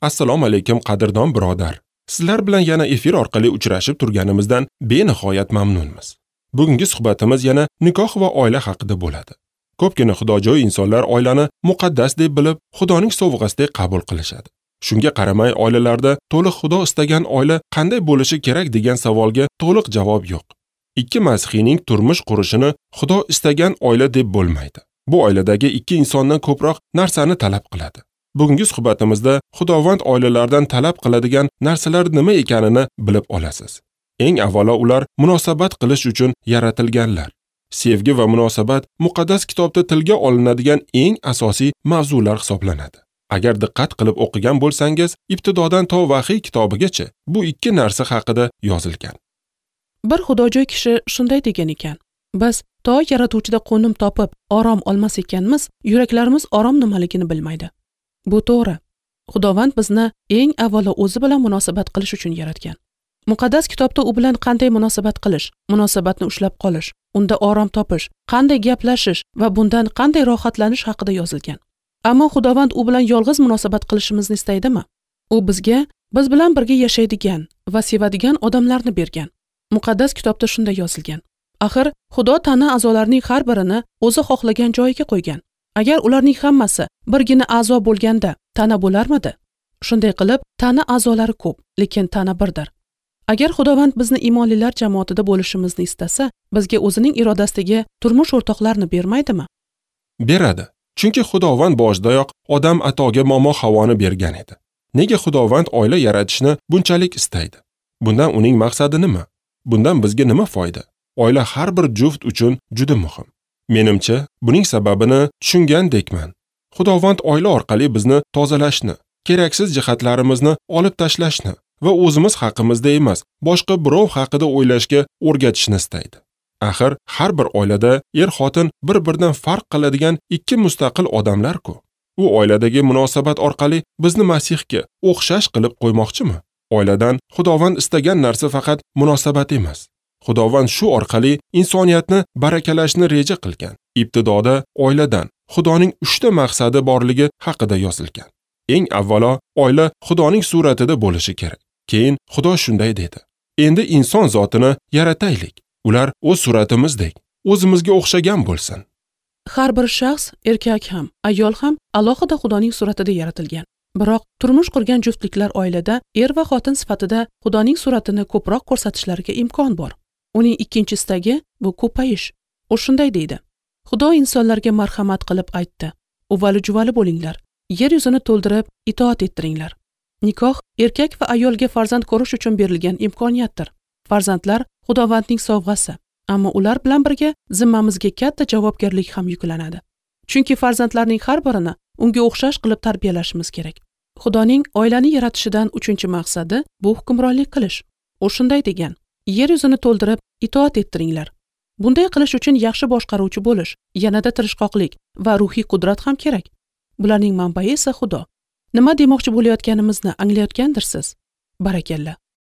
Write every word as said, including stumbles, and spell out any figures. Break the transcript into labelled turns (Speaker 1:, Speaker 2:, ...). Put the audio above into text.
Speaker 1: Assalomu alaykum qadrdon birodar. Sizlar bilan yana efir orqali uchrashib turganimizdan benihoyat mamnunmiz. Bugungi suhbatimiz yana nikoh va oila haqida bo'ladi. Ko'pgina xudojo'y insonlar oilani muqaddas deb bilib, Xudoning sovg'asidek qabul qilishadi. Shunga qaramay oilalarda to'liq Xudo istagan oila qanday bo'lishi kerak degan savolga to'liq javob yo'q. Ikki masihiyning turmush qurishini Xudo istagan oila deb bo'lmaydi. Bu oiladagi ikki insondan ko'proq narsani talab qiladi. Bugungi suhbatimizda Xudovand oilalardan talab qiladigan narsalar nima ekanini bilib olasiz. Eng avvalo ular munosabat qilish uchun yaratilganlar. Sevgi va munosabat muqaddas kitobda tilga olinadigan eng asosiy mavzular hisoblanadi. Agar diqqat qilib o'qigan bo'lsangiz, ibtidodan to Vahiy kitobigacha bu ikki narsa haqida yozilgan.
Speaker 2: Bir xudojo'y kishi shunday degan ekan: biz to yaratuvchida qo'nim topib, orom olmas ekanmiz, yuraklarimiz orom nimaligini bilmaydi. Bu to'g'ri. Xudovand bizni eng avvalo o'zi bilan munosabat qilish uchun yaratgan. Muqaddas kitobda u bilan qanday munosabat qilish, munosabatni ushlab qolish, unda orom topish, qanday gaplashish va bundan qanday rohatlanish haqida yozilgan. Ammo Xudovand u bilan yolg'iz munosabat qilishimizni istaydimi? U bizga biz bilan birga yashaydigan va sevadigan odamlarni bergan. Muqaddas kitobda shunday yozilgan. Axir Xudo tana a'zolarining har birini o'zi xohlagan joyiga qo'ygan. Agar ularning hammasi birgina a'zo bo'lganda tana bo'larmidi? Shunday qilib, tana a'zolari ko'p, lekin tana birdir. Agar Xudovand bizni iymonlilar jamoatida bo'lishimizni istasa, bizga o'zining irodasidagi turmush o'rtoqlarini bermaydimi?
Speaker 1: Beradi. Chunki Xudovand boshidayoq odam atoga momo Havoni bergan edi. Nega Xudovand oila yaratishni bunchalik istaydi? Bundan uning maqsadi nima? Bundan bizga nima foyda? Oila har bir juft uchun juda muhim. Menimcha, buning sababini tushungandekman. Xudovand oila orqali bizni tozalashni, keraksiz jihatlarimizni olib tashlashni va o'zimiz haqimizda emas, boshqa birov haqida o'ylashga o'rgatishni istaydi. Axir har bir oilada er-xotin bir-biridan farq qiladigan ikki mustaqil odamlar-ku. U oiladagi munosabat orqali bizni Masihga o'xshash qilib qo'ymoqchimi? Oiladan Xudovand istagan narsa faqat munosabat emas. Xudovand shu orqali insoniyatni barakalashni reja qilgan. Ibtidoda oiladan Xudoning uchta maqsadi borligi haqida yozilgan. Eng avvalo oila Xudoning suratida bo'lishi kerak. Keyin Xudo shunday dedi: endi inson zotini yarataylik. Ular o'z suratimizdek, o'zimizga o'xshagan bo'lsin.
Speaker 2: Har bir shaxs, erkak ham, ayol ham alohida Xudoning suratida yaratilgan. Biroq turmush qurgan juftliklar oilada er va xotin sifatida Xudoning suratini ko'proq ko'rsatishlariga imkon bor. Uning ikkinchi istagi bu ko'payish. U shunday deydi: Xudo insonlarga marhamat qilib aytdi: uvali-juvali bo'linglar, yer yuzini to'ldirib itoat ettiringlar. Nikoh erkak va ayolga farzand ko'rish uchun berilgan imkoniyatdir. Farzandlar Xudovandning sovg'asi, ammo ular bilan birga zimmamizga katta javobgarlik ham yuklanadi. Chunki farzandlarning har birini unga o'xshash qilib tarbiyalashimiz kerak. Xudoning oilani yaratishidan uchinchi maqsadi bu hukmronlik qilish. U shunday degan: yer yuzini to'ldirib itoat ettiringlar. Bunday qilish uchun yaxshi boshqaruvchi bo'lish, yanada tirishqoqlik va ruhiy qudrat ham kerak. Bularning manbai esa Xudo. Nima demoqchi bo'layotganimizni anglayotgandirsiz? Barakalla.